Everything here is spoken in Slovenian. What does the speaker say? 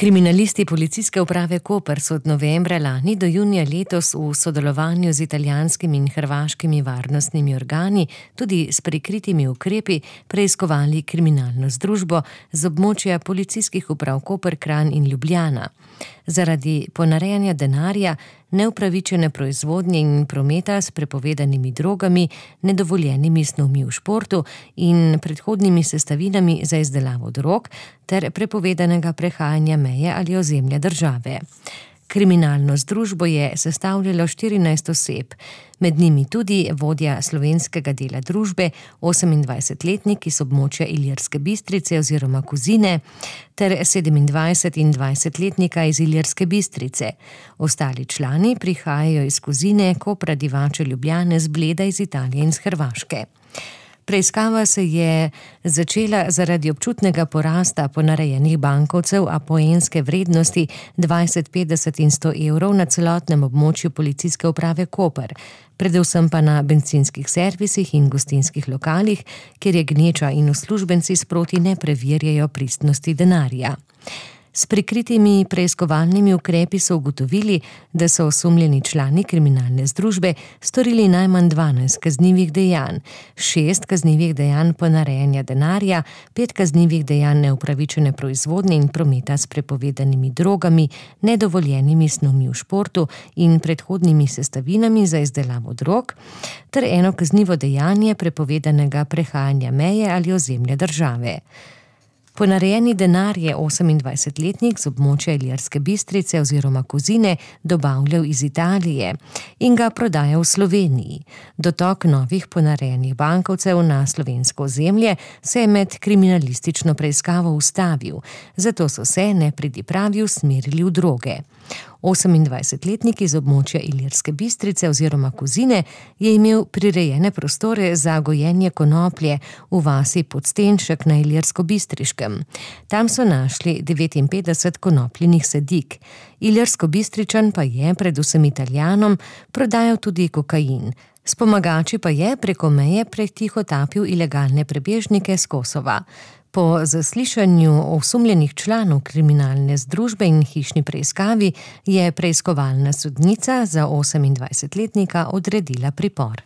Kriminalisti Policijske uprave Koper so od novembra lani do junija letos v sodelovanju z italijanskimi in hrvaškimi varnostnimi organi, tudi s prikritimi ukrepi, preiskovali kriminalno združbo z območja policijskih uprav Koper, Kranj in Ljubljana. Zaradi ponarejanja denarja, neupravičene proizvodnje in prometa s prepovedanimi drogami, nedovoljenimi snovmi v športu in predhodnimi sestavinami za izdelavo drog ter prepovedanega prehajanja meje ali ozemlja države. Kriminalno združbo je sestavljalo 14 oseb, med njimi tudi vodja slovenskega dela družbe, 28-letnik iz območja Ilirske Bistrice oziroma Kozine, ter 27- in 20-letnika iz Ilirske Bistrice. Ostali člani prihajajo iz Kozine, Kopra, Divače, Ljubljane, z Bleda, iz Italije in z Hrvaške. Preiskava se je začela zaradi občutnega porasta ponarejenih bankovcev apoenske vrednosti 20, 50 in 100 evrov na celotnem območju Policijske uprave Koper, predvsem pa na bencinskih servisih in gostinskih lokalih, kjer je gneča in uslužbenci sproti ne preverjajo pristnosti denarja. S prikritimi preiskovalnimi ukrepi so ugotovili, da so osumljeni člani kriminalne združbe storili najmanj 12 kaznivih dejanj, 6 kaznivih dejanj ponarejanja denarja, 5 kaznivih dejanj neupravičene proizvodnje in prometa s prepovedanimi drogami, nedovoljenimi snovmi v športu in predhodnimi sestavinami za izdelavo drog, ter 1 kaznivo dejanje prepovedanega prehajanja meje ali ozemlja države. Ponarejeni denar je 28-letnik z območja Ilirske Bistrice oziroma Kozine dobavljal iz Italije in ga prodajal v Sloveniji. Dotok novih ponarejenih bankovcev na slovensko ozemlje se je med kriminalistično preiskavo ustavil, zato so se nepridipravi usmerili v droge. 28-letnik iz območja Ilirske Bistrice oziroma Kozine je imel prirejene prostore za gojenje konoplje v vasi Podstenšek na Ilirsko-Bistriškem. Tam so našli 59 konopljinih sadik. Ilirsko-Bistričan pa je, predvsem Italijanom, prodajal tudi kokain. S pomagači pa je preko meje pretihotapil ilegalne prebežnike s Kosova. Po zaslišanju osumljenih članov kriminalne združbe in hišni preiskavi je preiskovalna sodnica za 28-letnika odredila pripor.